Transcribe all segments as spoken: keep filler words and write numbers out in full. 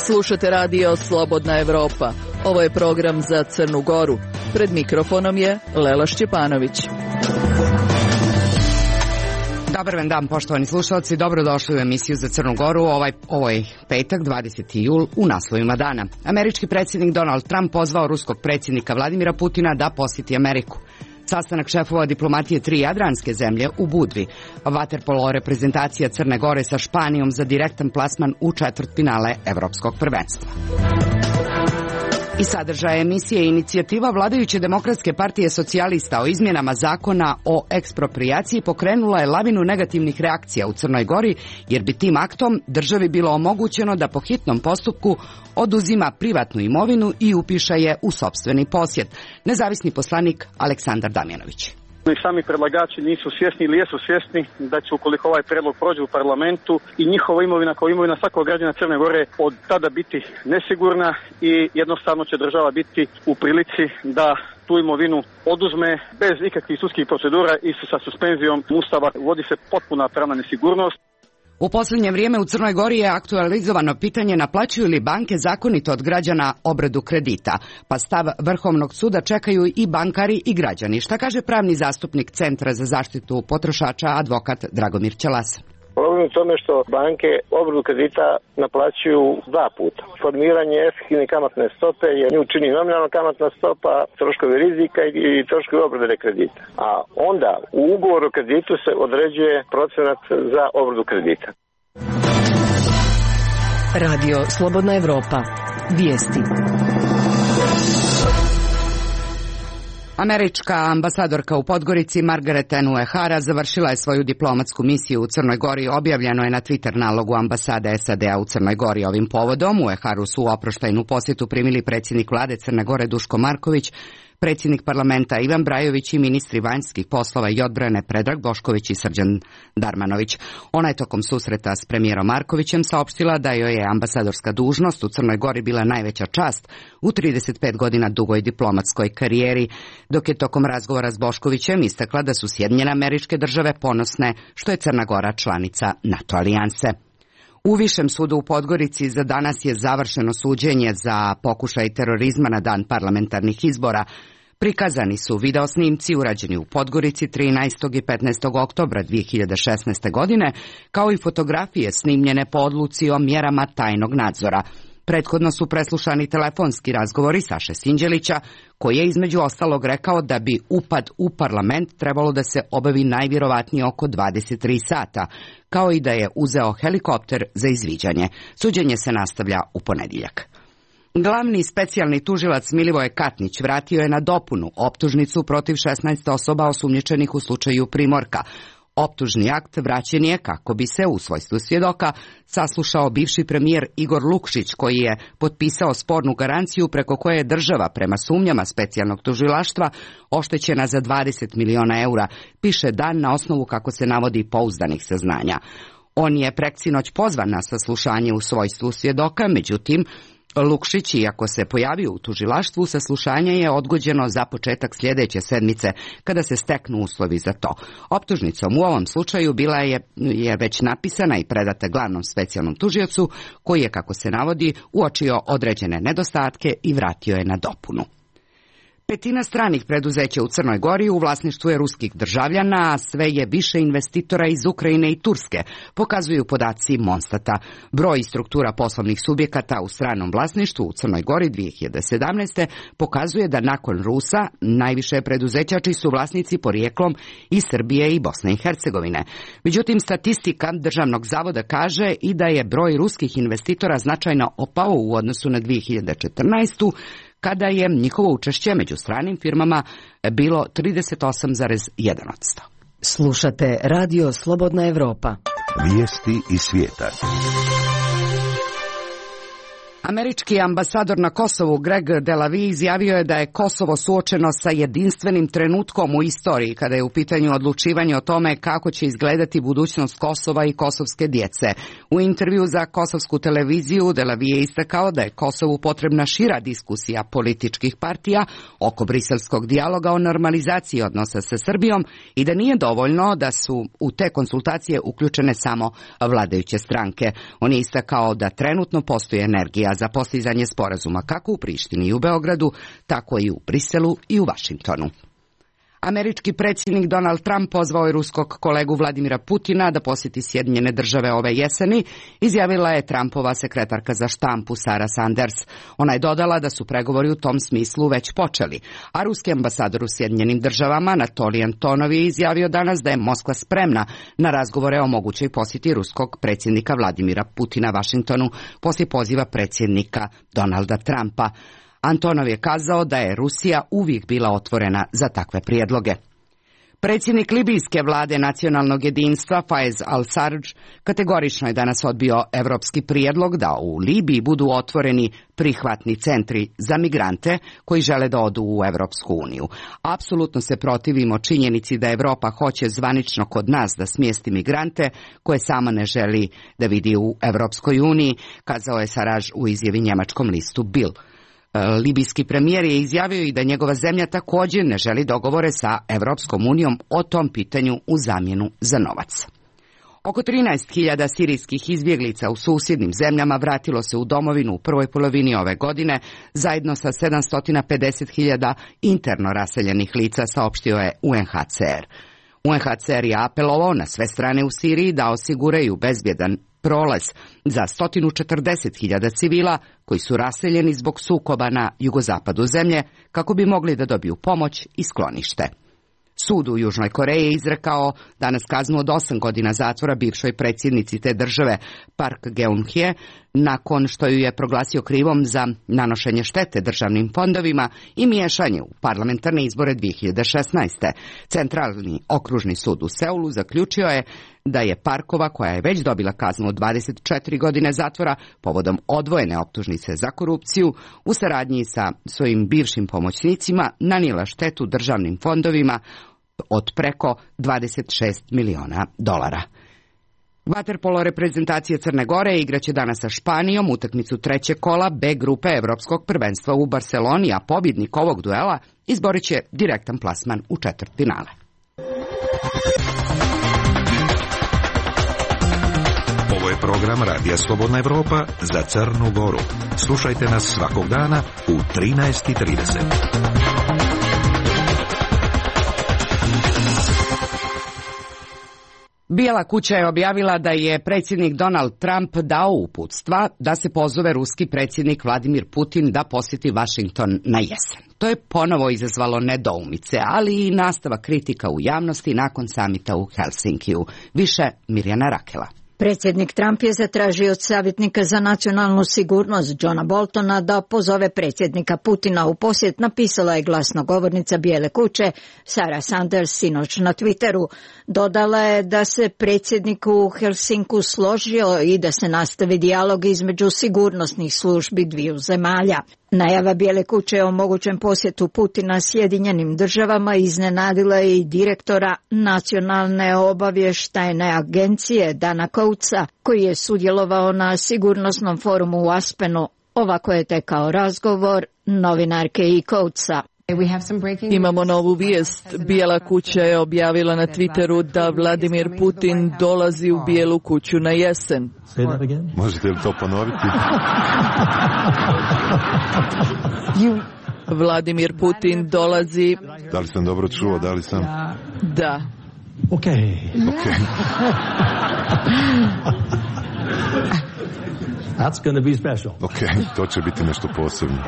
Slušate radio Slobodna Evropa. Ovo je program za Crnu Goru. Pred mikrofonom je Lela Šćepanović. Dobar vam dan, poštovani slušalci. Dobrodošli u emisiju za Crnu Goru. Ovaj, ovo je petak, dvadeseti jul, u naslovima dana. Američki predsjednik Donald Trump pozvao ruskog predsjednika Vladimira Putina da posjeti Ameriku. Sastanak šefova diplomatije tri jadranske zemlje u Budvi. Vaterpolo reprezentacija Crne Gore sa Španijom za direktan plasman u četvrtfinale Evropskog prvenstva. I sadržaj emisije inicijativa vladajuće Demokratske partije socijalista o izmjenama zakona o eksproprijaciji pokrenula je lavinu negativnih reakcija u Crnoj Gori, jer bi tim aktom državi bilo omogućeno da po hitnom postupku oduzima privatnu imovinu i upiše je u sopstveni posjed. Nezavisni poslanik Aleksandar Damjanović. I sami predlagači nisu svjesni ili jesu svjesni da će, ukoliko ovaj predlog prođe u parlamentu, i njihova imovina kao imovina svakog građana Crne Gore od tada biti nesigurna i jednostavno će država biti u prilici da tu imovinu oduzme bez ikakvih sudskih procedura i sa suspenzijom Ustava. Uvodi se potpuna pravna nesigurnost. U posljednje vrijeme u Crnoj Gori je aktualizovano pitanje naplaćuju li banke zakonito od građana obradu kredita, pa stav Vrhovnog suda čekaju i bankari i građani. Šta kaže pravni zastupnik Centra za zaštitu potrošača, advokat Dragomir Ćelas? Problem je u tome što banke obradu kredita naplaćuju dva puta. Formiranje efektivne kamatne stope je nju čini nominalna kamatna stopa, troškovi rizika i troškovi obrade kredita. A onda u ugovoru o kreditu se određuje procenat za obradu kredita. Radio Slobodna Evropa. Vijesti. Američka ambasadorka u Podgorici Margaret N. Uehara završila je svoju diplomatsku misiju u Crnoj Gori. Objavljeno je na Twitter nalogu ambasade S A D-a u Crnoj Gori. Ovim povodom Ueharu su u oproštajnu posjetu primili predsjednik vlade Crne Gore Duško Marković, predsjednik parlamenta Ivan Brajović i ministri vanjskih poslova i odbrane Predrag Bošković i Srđan Darmanović. Ona je tokom susreta s premijerom Markovićem saopštila da joj je ambasadorska dužnost u Crnoj Gori bila najveća čast u trideset pet godina dugoj diplomatskoj karijeri, dok je tokom razgovora s Boškovićem istakla da su Sjedinjene Američke Države ponosne što je Crna Gora članica NATO alijanse. U Višem sudu u Podgorici za danas je završeno suđenje za pokušaj terorizma na dan parlamentarnih izbora. Prikazani su videosnimci urađeni u Podgorici trinaestog i petnaestog oktobra dvije hiljade šesnaeste godine, kao i fotografije snimljene po odluci o mjerama tajnog nadzora. Prethodno su preslušani telefonski razgovori Saše Sinđelića, koji je između ostalog rekao da bi upad u parlament trebalo da se obavi najvjerovatnije oko dvadeset tri sata, kao i da je uzeo helikopter za izviđanje. Suđenje se nastavlja u ponedjeljak. Glavni specijalni tužilac Milivoje Katnić vratio je na dopunu optužnicu protiv šesnaest osoba osumnjičenih u slučaju Primorka. Optužni akt vraćen je kako bi se u svojstvu svjedoka saslušao bivši premijer Igor Lukšić, koji je potpisao spornu garanciju preko koje je država prema sumnjama specijalnog tužilaštva oštećena za dvadeset miliona eura, piše Dan na osnovu, kako se navodi, pouzdanih saznanja. On je preksinoć pozvan na saslušanje u svojstvu svjedoka, međutim Lukšić, iako se pojavio u tužilaštvu, saslušanje je odgođeno za početak sljedeće sedmice, kada se steknu uslovi za to. Optužnicom u ovom slučaju bila je, je već napisana i predata glavnom specijalnom tužiocu, koji je, kako se navodi, uočio određene nedostatke i vratio je na dopunu. Petina stranih preduzeća u Crnoj Gori u vlasništvu je ruskih državljana, a sve je više investitora iz Ukrajine i Turske, pokazuju podaci Monstata. Broj i struktura poslovnih subjekata u stranom vlasništvu u Crnoj Gori dvije hiljade sedamnaeste. pokazuje da nakon Rusa najviše preduzeća čiji su vlasnici porijeklom iz Srbije i Bosne i Hercegovine. Međutim, statistika Državnog zavoda kaže i da je broj ruskih investitora značajno opao u odnosu na dvije hiljade četrnaestu. kada je njihovo učešće među stranim firmama bilo trideset osam zarez jedan posto. Slušate Radio Slobodna Evropa. Vijesti iz svijeta. Američki ambasador na Kosovu Greg Delavi izjavio je da je Kosovo suočeno sa jedinstvenim trenutkom u istoriji kada je u pitanju odlučivanje o tome kako će izgledati budućnost Kosova i kosovske djece. U intervju za kosovsku televiziju Delavi je istakao da je Kosovu potrebna šira diskusija političkih partija oko briselskog dijaloga o normalizaciji odnosa sa Srbijom i da nije dovoljno da su u te konsultacije uključene samo vladajuće stranke. On je istakao da trenutno postoji energija za postizanje sporazuma kako u Prištini i u Beogradu, tako i u Briselu i u Vašingtonu. Američki predsjednik Donald Trump pozvao je ruskog kolegu Vladimira Putina da posjeti Sjedinjene Države ove jeseni, izjavila je Trumpova sekretarka za štampu Sara Sanders. Ona je dodala da su pregovori u tom smislu već počeli, a ruski ambasador u Sjedinjenim Državama Anatolij Antonov je izjavio danas da je Moskva spremna na razgovore o mogućoj posjeti ruskog predsjednika Vladimira Putina Vašingtonu poslije poziva predsjednika Donalda Trumpa. Antonov je kazao da je Rusija uvijek bila otvorena za takve prijedloge. Predsjednik libijske vlade nacionalnog jedinstva Faiz al-Sarraj kategorično je danas odbio evropski prijedlog da u Libiji budu otvoreni prihvatni centri za migrante koji žele da odu u Evropsku uniju. Apsolutno se protivimo činjenici da Evropa hoće zvanično kod nas da smjesti migrante koje sama ne želi da vidi u Evropskoj uniji, kazao je Sarraj u izjavi njemačkom listu Bild. Libijski premijer je izjavio i da njegova zemlja također ne želi dogovore sa Evropskom unijom o tom pitanju u zamjenu za novac. Oko trinaest hiljada sirijskih izbjeglica u susjednim zemljama vratilo se u domovinu u prvoj polovini ove godine, zajedno sa sedamsto pedeset hiljada interno raseljenih lica, saopštio je U N H C R. U N H C R je apelovao na sve strane u Siriji da osiguraju bezbjedan prolaz za sto četrdeset hiljada civila koji su raseljeni zbog sukoba na jugozapadu zemlje kako bi mogli da dobiju pomoć i sklonište. Sud u Južnoj Koreji je izrekao danas kaznu od osam godina zatvora bivšoj predsjednici te države Park Geun-hye nakon što ju je proglasio krivom za nanošenje štete državnim fondovima i miješanje u parlamentarne izbore dvije hiljade šesnaeste. Centralni okružni sud u Seulu zaključio je da je Parkova, koja je već dobila kaznu od dvadeset četiri godine zatvora povodom odvojene optužnice za korupciju, u saradnji sa svojim bivšim pomoćnicima nanijela štetu državnim fondovima od preko dvadeset šest miliona dolara. Vaterpolo reprezentacija Crne Gore igraće danas sa Španijom utakmicu trećeg kola B grupe Evropskog prvenstva u Barceloni, a pobjednik ovog duela izborit će direktan plasman u četvrtfinale. Ovo je program Radija Slobodna Evropa za Crnu Goru. Slušajte nas svakog dana u trinaest i trideset. Bijela kuća je objavila da je predsjednik Donald Trump dao uputstva da se pozove ruski predsjednik Vladimir Putin da posjeti Vašington na jesen. To je ponovo izazvalo nedoumice, ali i nastavak kritika u javnosti nakon samita u Helsinkiju. Više Mirjana Rakela. Predsjednik Trump je zatražio od savjetnika za nacionalnu sigurnost Johna Boltona da pozove predsjednika Putina u posjet, napisala je glasnogovornica Bijele kuće Sara Sanders sinoć na Twitteru. Dodala je da se predsjednik u Helsinku složio i da se nastavi dijalog između sigurnosnih službi dviju zemalja. Najava Bijele kuće o mogućem posjetu Putina Sjedinjenim Državama iznenadila je i direktora Nacionalne obavještajne agencije Dana Coatesa, koji je sudjelovao na sigurnosnom forumu u Aspenu. Ovako je tekao razgovor novinarke i Coatesa. Imamo novu vijest. Bijela kuća je objavila na Twitteru da Vladimir Putin dolazi u Bijelu kuću na jesen. Možete li to ponoviti? Vladimir Putin dolazi... Da li sam dobro čuo? Da li sam... Da. Ok. Ok. That's going to be special. Ok, to će biti nešto posebno.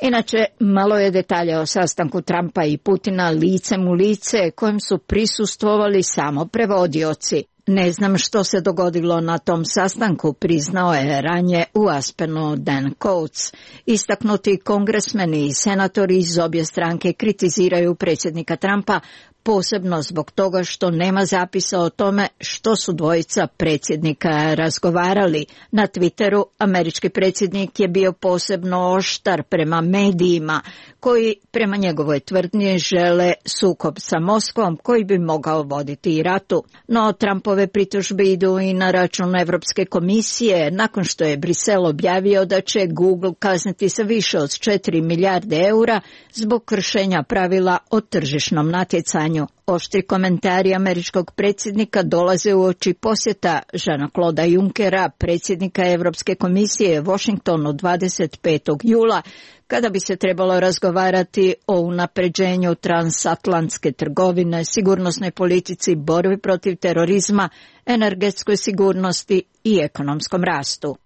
Inače, malo je detalja o sastanku Trumpa i Putina licem u lice kojem su prisustvovali samo prevodioci. Ne znam što se dogodilo na tom sastanku, priznao je ranije u Aspenu Dan Coates. Istaknuti kongresmeni i senatori iz obje stranke kritiziraju predsjednika Trumpa posebno zbog toga što nema zapisa o tome što su dvojica predsjednika razgovarali. Na Twitteru američki predsjednik je bio posebno oštar prema medijima koji prema njegovoj tvrdnji žele sukob sa Moskvom koji bi mogao voditi i ratu. No Trumpove pritužbe idu i na račun Evropske komisije nakon što je Brisel objavio da će Google kazniti sa više od četiri milijarde eura zbog kršenja pravila o tržišnom natjecanju. Oštri komentari američkog predsjednika dolaze uoči posjeta Jeana-Clauda Junckera, predsjednika Europske komisije Washingtonu dvadeset petog jula, kada bi se trebalo razgovarati o unapređenju transatlantske trgovine, sigurnosnoj politici, borbi protiv terorizma, energetskoj sigurnosti i ekonomskom rastu.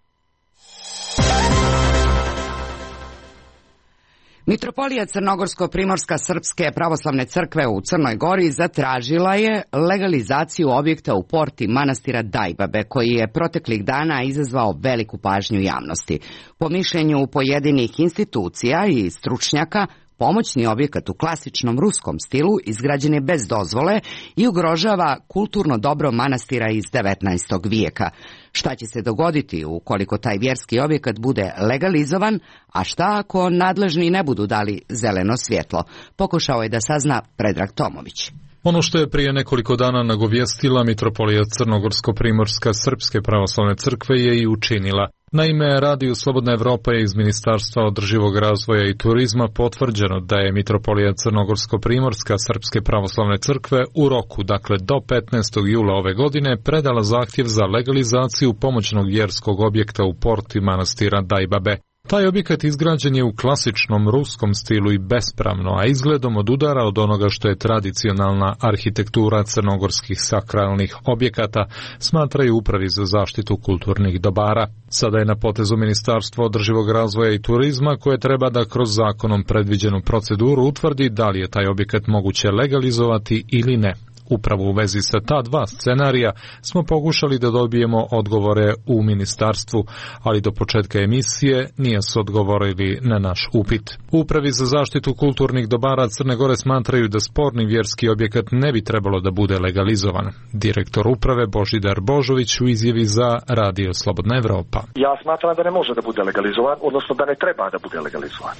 Mitropolija Crnogorsko-Primorska Srpske pravoslavne crkve u Crnoj Gori zatražila je legalizaciju objekta u porti manastira Dajbabe, koji je proteklih dana izazvao veliku pažnju javnosti. Po mišljenju pojedinih institucija i stručnjaka, pomoćni objekat u klasičnom ruskom stilu izgrađen je bez dozvole i ugrožava kulturno dobro manastira iz devetnaestog vijeka. Šta će se dogoditi ukoliko taj vjerski objekat bude legalizovan, a šta ako nadležni ne budu dali zeleno svjetlo? Pokušao je da sazna Predrag Tomović. Ono što je prije nekoliko dana nagovijestila Mitropolija Crnogorsko-Primorska Srpske pravoslavne crkve je i učinila. Naime, Radio Slobodna Evropa je iz Ministarstva održivog razvoja i turizma potvrđeno da je Mitropolija Crnogorsko-Primorska Srpske pravoslavne crkve u roku, dakle do petnaestog jula ove godine, predala zahtjev za legalizaciju pomoćnog vjerskog objekta u porti manastira Dajbabe. Taj objekat izgrađen je u klasičnom ruskom stilu i bespravno, a izgledom odudara od onoga što je tradicionalna arhitektura crnogorskih sakralnih objekata, smatraju Upravi za zaštitu kulturnih dobara. Sada je na potezu Ministarstvo održivog razvoja i turizma koje treba da kroz zakonom predviđenu proceduru utvrdi da li je taj objekat moguće legalizovati ili ne. Upravo u vezi sa ta dva scenarija smo pokušali da dobijemo odgovore u ministarstvu, ali do početka emisije nije su odgovorili na naš upit. Upravi za zaštitu kulturnih dobara Crne Gore smatraju da sporni vjerski objekat ne bi trebalo da bude legalizovan. Direktor uprave Božidar Božović u izjavi za Radio Slobodna Evropa. Ja smatram da ne može da bude legalizovan, odnosno da ne treba da bude legalizovan.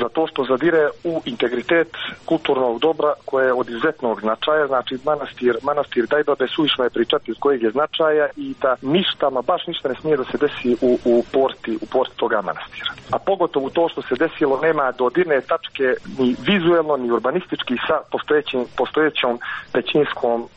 Zato što zadire u integritet kulturnog dobra koje je od izuzetnog značaja, znači manastir, manastir Dajbabe suvišno je pričati iz kojeg je značaja i da ništa, ma baš ništa ne smije da se desi u, u porti, u porti toga manastira. A pogotovo to što se desilo nema dodirne tačke ni vizuelno ni urbanistički sa postojećim, postojećom većinskom uh,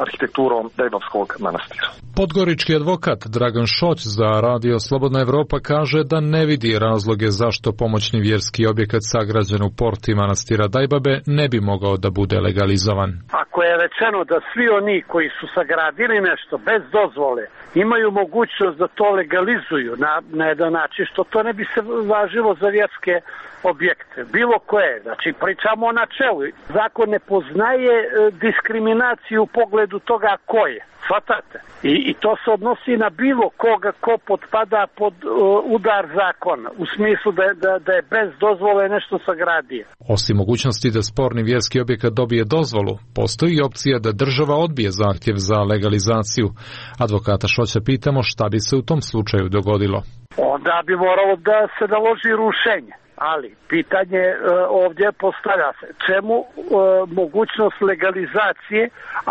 arhitekturom Dajbavskog manastira. Podgorički advokat Dragan Šoć za Radio Slobodna Evropa kaže da ne vidi razloge zašto pomoćni vjerski objekat sagrađen u porti manastira Dajbabe ne bi mogao da bude legalizovan. Ako je rečeno da svi oni koji su sagradili nešto bez dozvole imaju mogućnost da to legalizuju na, na jedan način, što to ne bi se važilo za vjerske objekte, bilo koje. Znači, pričamo o načelu. Zakon ne poznaje diskriminaciju u pogledu toga ko je. Svatate? I, I to se odnosi na bilo koga ko potpada pod uh, udar zakona, u smislu da, da, da je bez dozvole nešto sagradio. Osim mogućnosti da sporni vjerski objekat dobije dozvolu, postoji i opcija da država odbije zahtjev za legalizaciju. Advokata Šoća pitamo šta bi se u tom slučaju dogodilo. Onda bi moralo da se naloži rušenje. Ali pitanje e, ovdje postavlja se čemu e, mogućnost legalizacije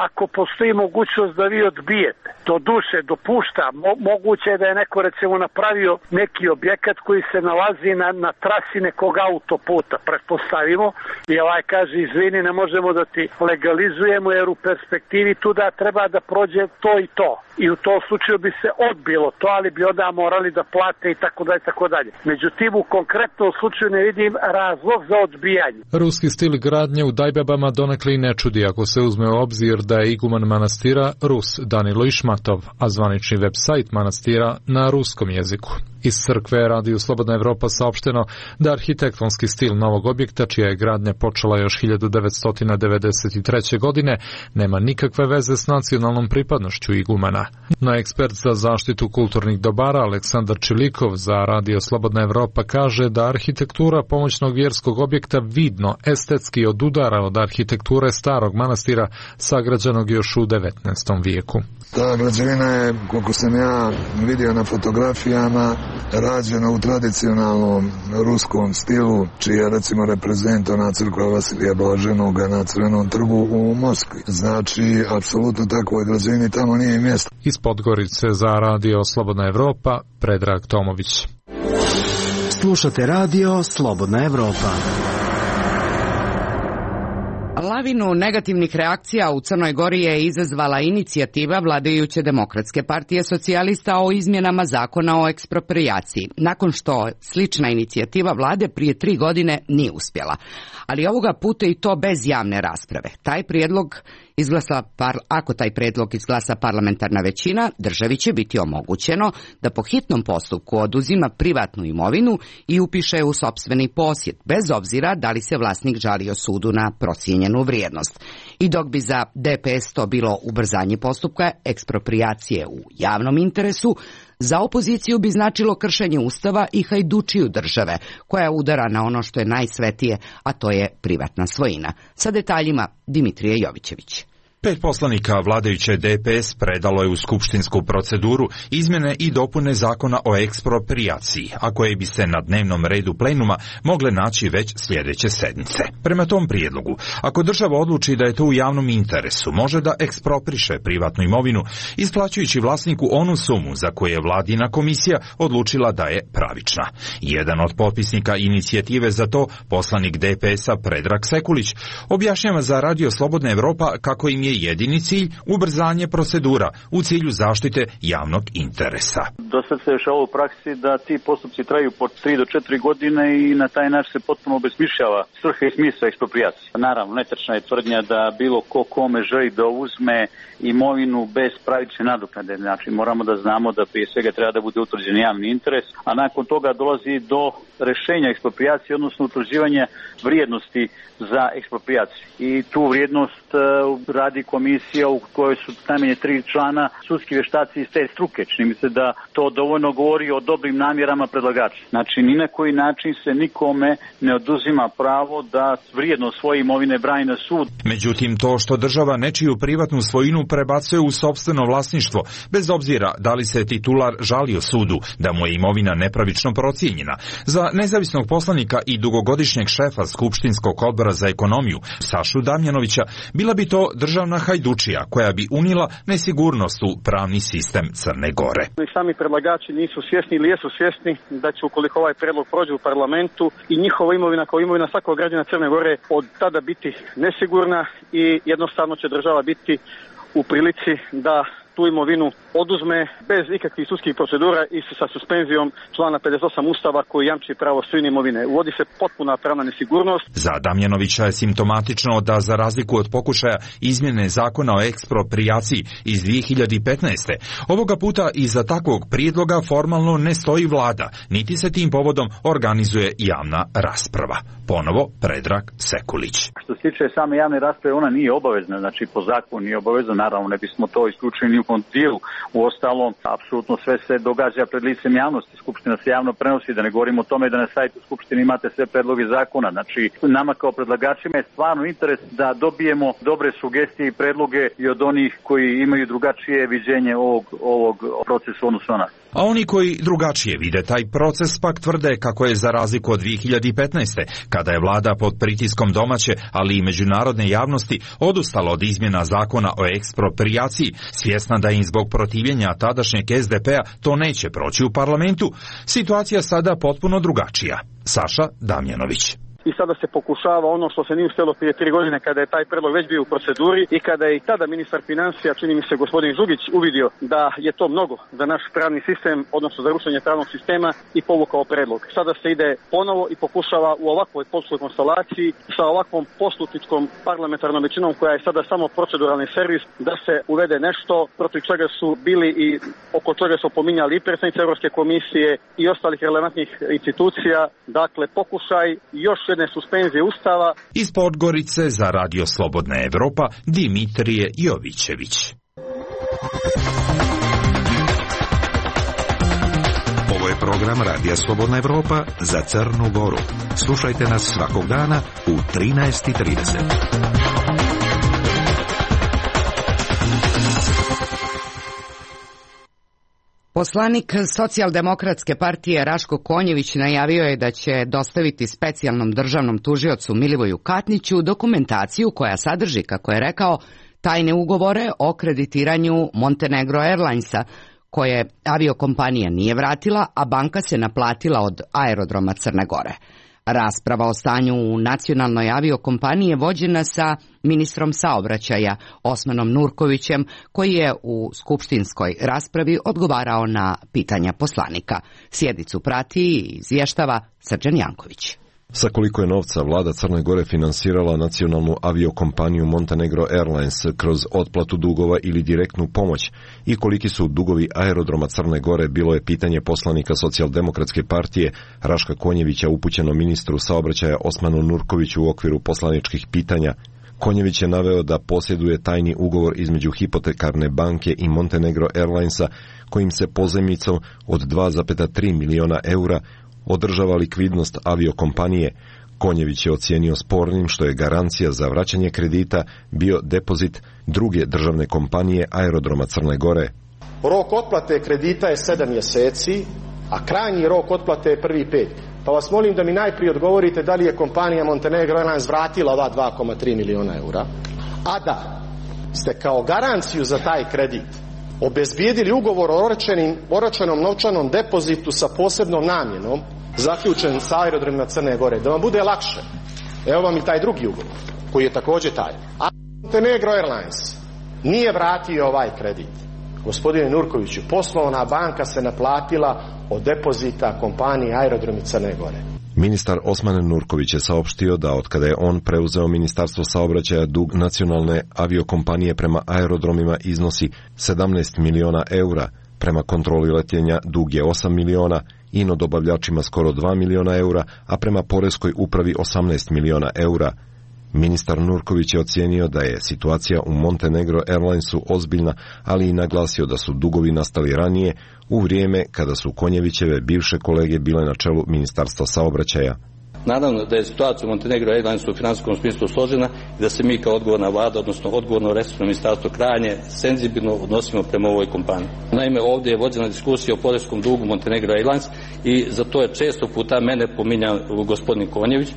ako postoji mogućnost da vi odbijete. Do duše dopušta, mo, moguće je da je neko recimo napravio neki objekat koji se nalazi na, na trasi nekog autoputa, pretpostavimo, i ovaj kaže izvini ne možemo da ti legalizujemo jer u perspektivi tu da treba da prođe to i to. I u tom slučaju bi se odbilo to, ali bi onda morali da plate i tako dalje, tako dalje. Međutim, u konkretnom slučaju ne vidim razlog za odbijanje. Ruski stil gradnje u Dajbabama donekle i ne čudi ako se uzme u obzir da je iguman manastira Rus Danilo Išmatov, a zvanični web sajt manastira na ruskom jeziku. Iz crkve Radiju Slobodna Evropa saopšteno da arhitektonski stil novog objekta, čija je gradnja počela još hiljadu devetsto devedeset treće. godine, nema nikakve veze s nacionalnom pripadnošću igumana. No ekspert za zaštitu kulturnih dobara Aleksandar Čilikov za Radio Slobodna Evropa kaže da arhitektura pomoćnog vjerskog objekta vidno estetski odudara od arhitekture starog manastira sagrađenog još u devetnaestom vijeku. Ta građevina je, koliko sam ja vidio na fotografijama, rađena u tradicionalnom ruskom stilu, čiji je recimo reprezent ona crkva Vasilija Blaženoga na Crvenom trgu u Moskvi. Znači, apsolutno takvoj građevini tamo nije mjesto. Iz Podgorice za Radio Slobodna Evropa, Predrag Tomović. Slušate Radio Slobodna Evropa. Lavinu negativnih reakcija u Crnoj Gori je izazvala inicijativa vladajuće Demokratske partije socijalista o izmjenama zakona o eksproprijaciji, nakon što slična inicijativa vlade prije tri godine nije uspjela. Ali ovoga puta i to bez javne rasprave. Taj prijedlog izglasa, ako taj prijedlog izglasa parlamentarna većina, državi će biti omogućeno da po hitnom postupku oduzima privatnu imovinu i upiše u sopstveni posjed, bez obzira da li se vlasnik žalio sudu na procijenjenu vrijednost. I dok bi za D P S to bilo ubrzanje postupka eksproprijacije u javnom interesu, za opoziciju bi značilo kršenje Ustava i hajdučiju države, koja udara na ono što je najsvetije, a to je privatna svojina. Sa detaljima Dimitrije Jovićević. Pet poslanika vladajuće D P S predalo je u skupštinsku proceduru izmjene i dopune zakona o eksproprijaciji, a koje bi se na dnevnom redu plenuma mogle naći već sljedeće sedmice. Prema tom prijedlogu, ako država odluči da je to u javnom interesu, može da ekspropriše privatnu imovinu, isplaćujući vlasniku onu sumu za koju je vladina komisija odlučila da je pravična. Jedan od potpisnika inicijative za to, poslanik D P S-a Predrag Sekulić, objašnjava za Radio Slobodna Evropa kako im je jedini cilj ubrzanje procedura u cilju zaštite javnog interesa. Do sad se dešava u praksi da ti postupci traju po tri do četiri godine i na taj način se potpuno obesmišljava svrha i smisao eksproprijacije. Naravno, netačna je tvrdnja da bilo ko kome želi da uzme imovinu bez pravične nadoknade. Znači, moramo da znamo da prije svega treba da bude utvrđen javni interes, a nakon toga dolazi do rešenja eksproprijacije, odnosno utvrđivanja vrijednosti za eksproprijaciju. I tu vrijednost uh, radi komisija u kojoj su najmanje tri člana sudski vještaci iz te struke. Čini mi se da to dovoljno govori o dobrim namjerama predlagača. Znači, ni na koji način se nikome ne oduzima pravo da vrijedno svoje imovine brani na sud. Međutim, to što država nečiju privatnu svojinu prebacuje u sopstveno vlasništvo, bez obzira da li se titular žalio sudu da mu je imovina nepravično procijenjena, za nezavisnog poslanika i dugogodišnjeg šefa Skupštinskog odbora za ekonomiju Sašu Damjanovića bila bi to državna hajdučija koja bi unila nesigurnost u pravni sistem Crne Gore. I sami predlagači nisu svjesni ili jesu svjesni da će, ukoliko ovaj predlog prođe u parlamentu, i njihova imovina kao imovina svakog građana Crne Gore od tada biti nesigurna i jednostavno će država biti u prilici da tu imovinu oduzme bez ikakvih sudskih procedura i sa suspenzijom člana pedeset osam Ustava koji jamči pravo svojine imovine. Uvodi se potpuna pravna nesigurnost. Za Damjanovića je simptomatično da za razliku od pokušaja izmjene zakona o eksproprijaciji iz dvije hiljade petnaeste. ovoga puta iza takvog prijedloga formalno ne stoji vlada, niti se tim povodom organizuje javna rasprava. Ponovo Predrag Sekulić. Što se tiče same javne rasprave, ona nije obavezna, znači po zakonu nije obavezna, naravno ne bismo to isključili ni u kom dijelu. U ostalom, apsolutno sve se događa pred licem javnosti, Skupština se javno prenosi, da ne govorimo o tome da na sajtu Skupštine imate sve predloge zakona. Znači, nama kao predlagačima je stvarno interes da dobijemo dobre sugestije i predloge i od onih koji imaju drugačije viđenje ovog, ovog procesa odnosno nas. A oni koji drugačije vide taj proces pak tvrde kako je za razliku od dvije hiljade petnaeste. kada je vlada pod pritiskom domaće, ali i međunarodne javnosti odustala od izmjena zakona o eksproprijaciji, svjesna da im zbog protivljenja tadašnjeg S D P-a to neće proći u parlamentu, situacija sada potpuno drugačija. Saša Damjanović. i sada se pokušava ono što se nije uspjelo prije tri godine kada je taj predlog već bio u proceduri i kada je i tada ministar financija, čini mi se gospodin Žugić, uvidio da je to mnogo za naš pravni sistem, odnosno za rušenje pravnog sistema i povukao predlog. Sada se ide ponovo i pokušava u ovakvoj političkoj konstelaciji sa ovakvom poslušničkom parlamentarnom većinom koja je sada samo proceduralni servis da se uvede nešto protiv čega su bili i oko čega su pominjali i predsjednici Europske komisije i ostalih relevantnih institucija. Dakle, pokušaj još jedne suspenzije Ustava. Iz Podgorice za Radio Slobodna Evropa Dimitrije Jovićević. Ovo je program Radija Slobodna Evropa za Crnu Goru. Slušajte nas svakog dana u trinaest i trideset. Poslanik Socijaldemokratske partije Raško Konjević najavio je da će dostaviti specijalnom državnom tužiocu Milivoju Katniću dokumentaciju koja sadrži, kako je rekao, tajne ugovore o kreditiranju Montenegro Airlinesa, koje aviokompanija nije vratila, a banka se naplatila od aerodroma Crne Gore. Rasprava o stanju u nacionalnoj aviokompaniji je vođena sa ministrom saobraćaja Osmanom Nurkovićem, koji je u skupštinskoj raspravi odgovarao na pitanja poslanika. Sjednicu prati i izvještava Srđan Janković. Sa koliko je novca vlada Crne Gore finansirala nacionalnu aviokompaniju Montenegro Airlines kroz otplatu dugova ili direktnu pomoć i koliki su dugovi aerodroma Crne Gore, bilo je pitanje poslanika Socijaldemokratske partije Raška Konjevića upućeno ministru saobraćaja Osmanu Nurkoviću u okviru poslaničkih pitanja. Konjević je naveo da posjeduje tajni ugovor između hipotekarne banke i Montenegro Airlinesa kojim se pozajmicom od dva zarez tri miliona eura održava likvidnost aviokompanije. Konjević je ocijenio spornim što je garancija za vraćanje kredita bio depozit druge državne kompanije Aerodroma Crne Gore. Rok otplate kredita je sedam mjeseci, a krajnji rok otplate je prvi pet. Pa vas molim da mi najprije odgovorite da li je kompanija Montenegro Airlines vratila ova dva zarez tri miliona eura, a da ste kao garanciju za taj kredit obezbijedili ugovor o oročenom novčanom depozitu sa posebnom namjenom zaključen sa aerodromima Crne Gore. Da vam bude lakše, evo vam i taj drugi ugovor koji je također taj. A Montenegro Airlines nije vratio ovaj kredit. Gospodine Nurkoviću, poslovna banka se naplatila od depozita kompanije Aerodromi Crne Gore. Ministar Osman Nurković je saopštio da od kada je on preuzeo Ministarstvo saobraćaja, dug nacionalne aviokompanije prema aerodromima iznosi sedamnaest miliona eura, prema kontroli letenja dug je osam miliona, ino dobavljačima skoro dva miliona eura, a prema poreskoj upravi osamnaest miliona eura. Ministar Nurković je ocijenio da je situacija u Montenegro Airlinesu ozbiljna, ali i naglasio da su dugovi nastali ranije, u vrijeme kada su Konjevićeve bivše kolege bile na čelu Ministarstva saobraćaja. Naravno da je situacija u Montenegro Airlinesu u finansijskom smislu složena i da se mi kao odgovorna vlada, odnosno odgovorno resorno ministarstvo, krajnje senzibilno odnosimo prema ovoj kompaniji. Naime, ovdje je vođena diskusija o poreskom dugu Montenegro Airlines i za to je često puta mene pominjao gospodin Konjević,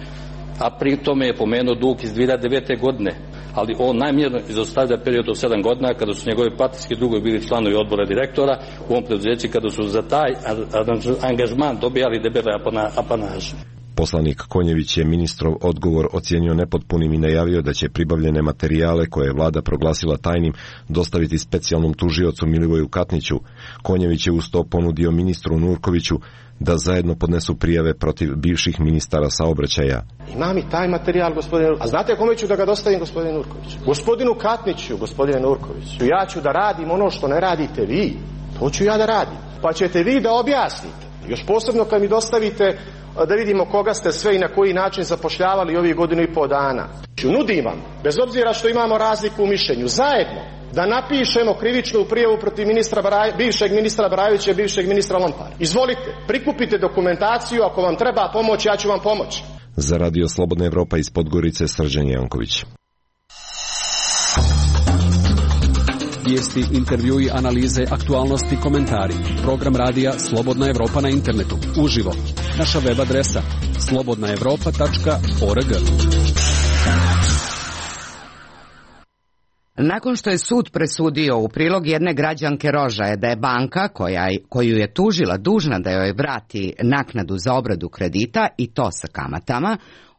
a pri tome je pomenuo dug iz dvije hiljade devete. godine, ali on najmjerno izostavlja period od sedam godina kada su njegovi partijski drugovi bili članovi odbora direktora u ovom preduzeću, kada su za taj angažman dobijali debele apanaže. Poslanik Konjević je ministrov odgovor ocijenio nepotpunim i najavio da će pribavljene materijale koje je vlada proglasila tajnim dostaviti specijalnom tužiocu Milivoju Katniću. Konjević je uz to ponudio ministru Nurkoviću da zajedno podnesu prijave protiv bivših ministara saobraćaja. Imam i taj materijal, gospodine Nurković. A znate kome ću da ga dostavim, gospodine Nurković? Gospodinu Katniću, gospodine Nurkoviću. Ja ću da radim ono što ne radite vi. To ću ja da radim. Pa ćete vi da objasnite. Još posebno kad mi dostavite da vidimo koga ste sve i na koji način zapošljavali ovih godinu i pol dana. Nudim vam, bez obzira što imamo razliku u mišljenju, zajedno da napišemo krivičnu prijavu protiv ministra Braj, bivšeg ministra Brajovića i bivšeg ministra Lompara. Izvolite, prikupite dokumentaciju, ako vam treba pomoć, ja ću vam pomoći. Za Radio Slobodna Evropa iz Podgorice, Srđan Janković. Vijesti, intervjui, analize, aktualnosti, komentari. Program radija Slobodna Evropa na internetu. Uživo. Naša web adresa slobodna evropa tačka org. Nakon što je sud presudio u prilog jedne građanke Rožaje da je banka koja, koju je tužila dužna da joj vrati naknadu za obradu kredita i to sa kamatama,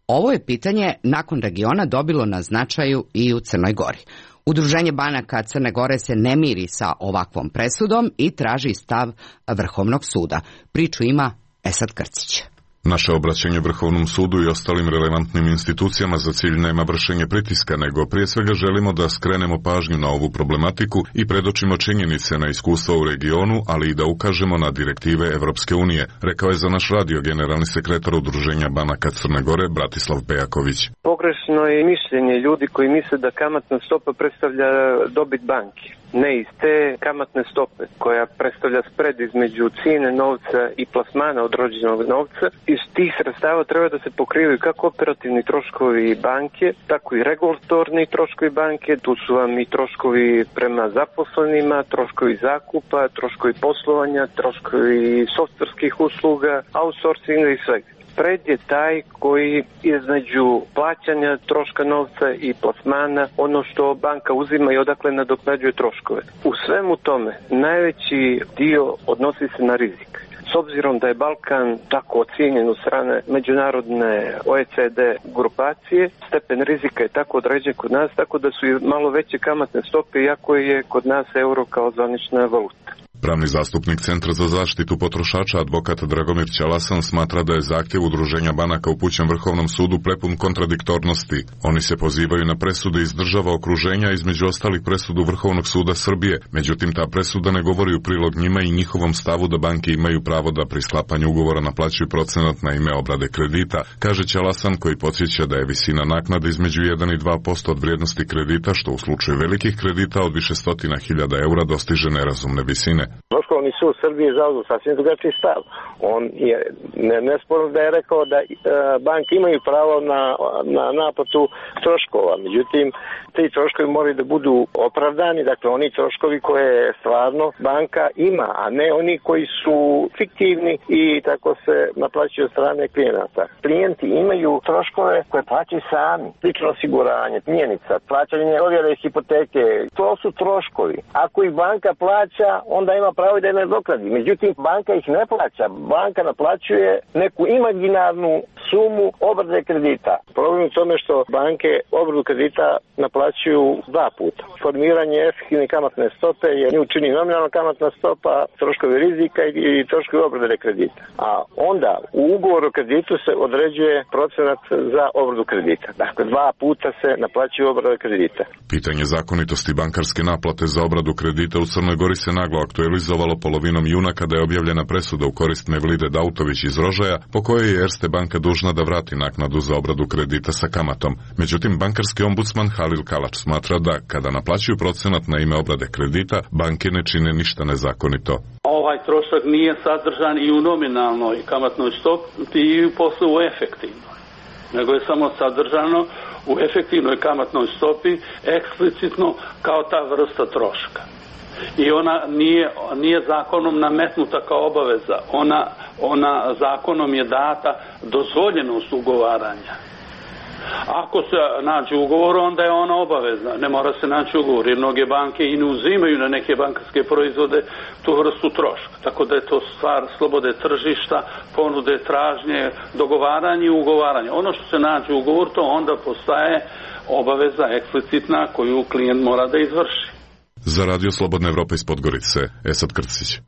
Ovo je pitanje nakon regiona dobilo na značaju i u Crnoj Gori. Udruženje banaka Crne Gore se ne miri sa ovakvom presudom i traži stav Vrhovnog suda. Priču ima Esad Krcić. Naše obraćanje Vrhovnom sudu i ostalim relevantnim institucijama za cilj nema vršenje pritiska, nego prije svega želimo da skrenemo pažnju na ovu problematiku i predočimo činjenice na iskustva u regionu, ali i da ukažemo na direktive Evropske unije, rekao je za naš radio generalni sekretar Udruženja banaka Crne Gore Bratislav Pejaković. Pogrešno je mišljenje ljudi koji misle da kamatna stopa predstavlja dobit banki. Ne, iz te kamatne stope koja predstavlja spred između cijene novca i plasmana odrođenog novca, iz tih sredstava treba da se pokrivaju kako operativni troškovi banke, tako i regulatorni troškovi banke. Tu su vam i troškovi prema zaposlenima, troškovi zakupa, troškovi poslovanja, troškovi softverskih usluga, outsourcinga i svega. Spread je taj koji između plaćanja troška novca i plasmana, ono što banka uzima i odakle nadoknađuje troškove. U svemu tome najveći dio odnosi se na rizik. S obzirom da je Balkan tako ocijenjen od strane međunarodne O E C D grupacije, stepen rizika je tako određen kod nas, tako da su i malo veće kamatne stope, iako je kod nas euro kao zvanična valuta. Pravni zastupnik Centra za zaštitu potrošača, advokat Dragomir Ćalasan, smatra da je zahtjev Udruženja banaka upućen Vrhovnom sudu prepun kontradiktornosti. Oni se pozivaju na presude iz država okruženja, između ostalih presudu Vrhovnog suda Srbije. Međutim, ta presuda ne govori u prilog njima i njihovom stavu da banke imaju pravo da pri sklapanju ugovora naplaćuju procenat na ime obrade kredita, kaže Ćalasan, koji podsjeća da je visina naknade između jedan i dva posto od vrijednosti kredita, što u slučaju velikih kredita od više stotina hiljada eura dostiže nerazumne visine. Vrhovni sud Srbije zauzeo sasvim drugačiji stav. On je ne, nesporno da je rekao da e, banke imaju pravo na, na naplatu troškova. Međutim, ti troškovi moraju da budu opravdani, dakle oni troškovi koje stvarno banka ima, a ne oni koji su fiktivni i tako se naplaćuju od strane klijenata. Klijenti imaju troškove koje plaćaju sami. Lično osiguranje, mjenica, plaćanje ovjere hipoteke, to su troškovi. Ako ih banka plaća, onda ima pravo da je nadoknadi. Međutim, banka ih ne plaća. Banka naplaćuje neku imaginarnu sumu obrade kredita. Problem je u tome što banke obradu kredita naplaćuju dva puta. Formiranje efektivne kamatne stope je nju čini nominalna kamatna stopa, troškovi rizika i troškovi obrade kredita. A onda u ugovoru o kreditu se određuje procenat za obradu kredita. Dakle, dva puta se naplaćuje obrada kredita. Pitanje zakonitosti bankarske naplate za obradu kredita u Crnoj Gori se naglo aktualizovalo polovinom juna kada je objavljena presuda u korist Mevlide Dautović iz Rožaja, po kojoj je Erste banka dužna da vrati naknadu za obradu kredita sa kamatom. Međutim, bankarski ombudsman Halil Kalač smatra da kada naplaćuju procenat na ime obrade kredita, banke ne čine ništa nezakonito. Ovaj trošak nije sadržan i u nominalnoj kamatnoj stopi i posle u efektivnoj, nego je samo sadržano u efektivnoj kamatnoj stopi eksplicitno kao ta vrsta troška. I ona nije, nije zakonom nametnuta kao obaveza, ona, ona zakonom je data dozvoljenost ugovaranja. Ako se nađe ugovor, onda je ona obavezna, ne mora se naći ugovor, jer mnoge banke i ne uzimaju na neke bankarske proizvode tu vrstu troška. Tako da je to stvar slobode tržišta, ponude, tražnje, dogovaranje i ugovaranje. Ono što se nađe ugovor, to onda postaje obaveza eksplicitna koju klijent mora da izvrši. Za Radio Slobodna Evropa iz Podgorice, Esad Krcić.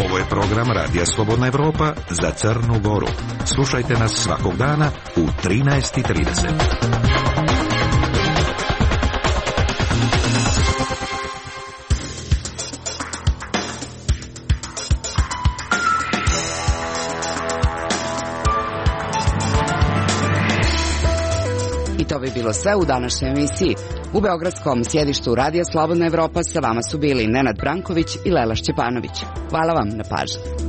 Ovo je program Radija Slobodna Evropa za Crnu Goru. Slušajte nas svakog dana u trinaest i trideset. To bi bilo sve u današnjoj emisiji. U beogradskom sjedištu Radija Slobodna Evropa sa vama su bili Nenad Branković i Lela Šćepanović. Hvala vam na pažnji.